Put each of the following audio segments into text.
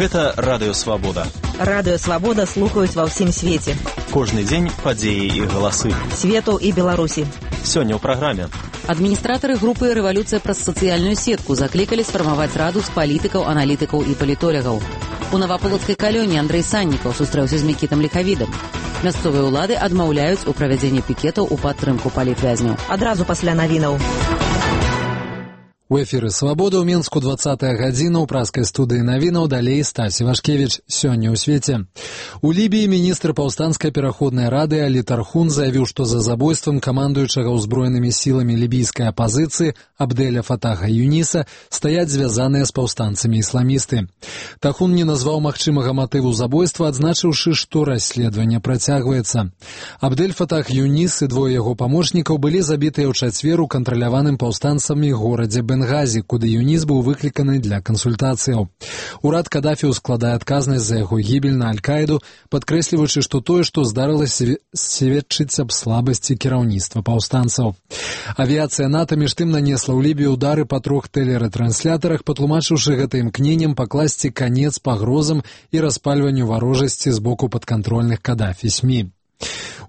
Гэта Радыё Свабода. Радыё Свабода слухаюць ва ўсім свеце. Кожны дзень падзеі і галасы. Свету і Беларусі. Сёння ў праграме. Адміністратары групы «Рэвалюцыя праз сацыяльную сетку» заклікалі сфармаваць раду з палітыкаў, аналітыкаў і палітолягаў. У Наваполацкай калоніі Андрэй Саннікаў сустрэўся з Мікітам Ліхавідам. Мясцовыя ўлады адмаўляюць у правядзенні пікетаў у падтрымку палітвязняў. Адразу пасля навінаў. У эфіры «Свабода» ў Мінску 20-я гадзіна ў праскай студыі навінаў, далей Стась Івашкевіч. Сёння ў свеце. У Лібіі міністр паўстанцкай пераходнай рады Алі Тархун заявіў, што за забойствам камандуючага ўзброенымі сіламі лібійскай апазіцыі Абдэля Фатаха Юніса стаяць звязаныя з паўстанцамі ісламісты. Тархун не назваў магчымага матыву забойства, адзначыўшы, што расследаванне працягваецца. Абдэль Фатах Юнис і двое яго памочнікаў былі забітыя ў чацвер у кантраляваным паўстанцамі горадзе Бенгазі, куды Юніс быў выкліканы для кансультацыяў. Урад Кадафі складае адказнасць за яго гібель на Аль-Каіду, падкрэсліваючы, што тое, што здарылася, сведчыць аб слабасці кіраўніцтва паўстанцаў. Авіяцыя НАТО між тым нанесла ў Лібію удары па 3 тэлерэтрансляторах, патлумачыўшы гэта імкненнем пакласці канец пагрозам і распальванню варожасці з боку падкантрольных Кадафі СМІ.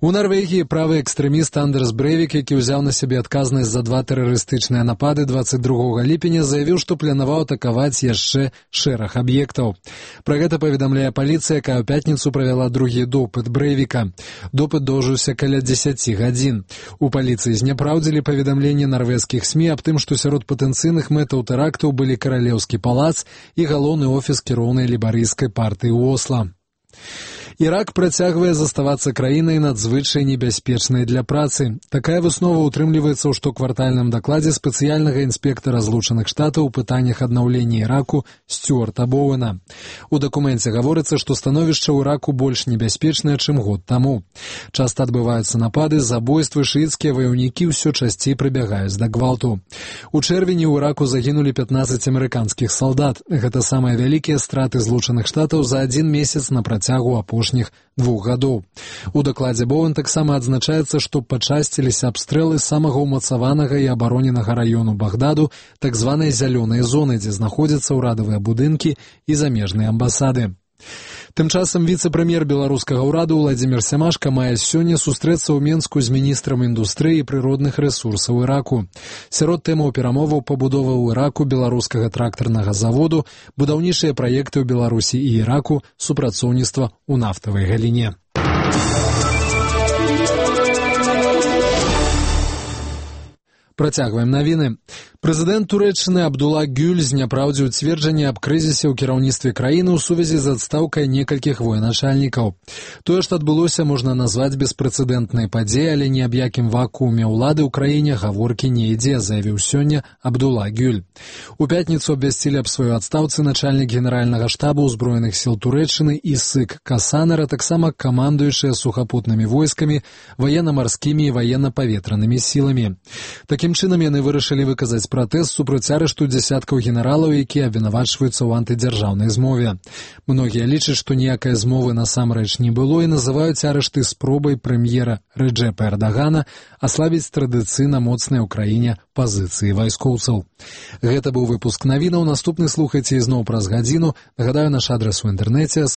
У Нарвегіі правы экстрэміст Андерс Брэвік, які ўзяў на сябе адказнасць за 2 тэрарыстычныя напады 22 ліпеня, заявіў, што планаваў атакаваць яшчэ шэраг аб'ектаў. Пра гэта паведамляе паліцыя, якая ў пятніцу правяла другі допыт Брэвіка. Допыт доўжыўся каля 10 гадзін. У паліцыі зняпраўдзілі паведамленне нарвежскіх СМІ аб тым, што сярод патэнцыйных мэтаў тэрактаў былі каралеўскі палац і галоўны офіс кіроўнай лейбарысцкай партыі ў Осла. Ірак працягвае заставацца краінай надзвычай небяспечнай для працы. Такая выснова ўтрымліваецца ў штоквартальным дакладзе спецыяльнага інспектара Злучаных Штатаў у пытаннях аднаўлення Іраку Стюарта Боуэна. У дакуменце гаворыцца, што становішча ў Іраку больш небяспечнае, чым год таму. Часта адбываюцца напады, забойствы, шыіцкія ваяўнікі ўсё часцей прыбягаюць да гвалту. У чэрвені ў Іраку загінулі 15 амерыканскіх салдат. Гэта самыя вялікія страты Злучаных Штатаў за адзін месяц на працягу апошніх 2 гадоў. У дакладзе Боуэн таксама адзначаецца, што пачасціліся абстрэлы самага ўмацаванага і абароненага раёну Багдаду, так званай зялёнай зоны, дзе знаходзяцца ўрадавыя будынкі і замежныя амбасады. Тым часам віцэ-прэм'ер беларускага ўраду Владзімір Сямашка мае сёння сустрэцца ў Мінску з міністрам індустрыі і прыродных рэсурсаў Іраку. Сярод тэмаў перамоваў пабудова ў Іраку беларускага трактарнага заводу, будаўнічыя праекты ў Беларусі і Іраку, супрацоўніцтва ў нафтавай галіне. Працягваем навіны. Прэзідэнт Турэччыны Абдулла Гюль зняпраўдзіў цверджанне аб крызісе ў кіраўніцтве краіны ў сувязі з адстаўкай некалькіх военачальнікаў. Тое, што адбылося, можна назваць беспрэцэдэнтнай падзеяй, але ні аб якім вакууме ўлады ў краіне гаворкі не ідзе, заявіў сёння Абдулла Гюль. У пятніцу абвясцілі аб сваёй адстаўцы начальнік генеральнага штаба ўзброеных сіл Турэччыны Ісык Касанер, а таксама камандуючыя сухапутнымі войскамі, ваенна-марскімі і ваенна-паветранымі сіламі. Такім чынам яны вырашылі выказаць пратэст супраць арышту дзясяткаў генералаў, якія абвінавачваюцца ў антыдзяржаўнай змове. Многія лічаць, што ніякай змовы насамрэч не было і называюць арышты спробай прэм'ера Рэджэпа Эрдагана аслабіць традыцыйна моцныя ў краіне пазіцыі вайскоўцаў. Гэта быў выпуск навінаў. Наступны слухайце ізноў праз гадзіну. Нагадаю, наш адрас у інтэрнэце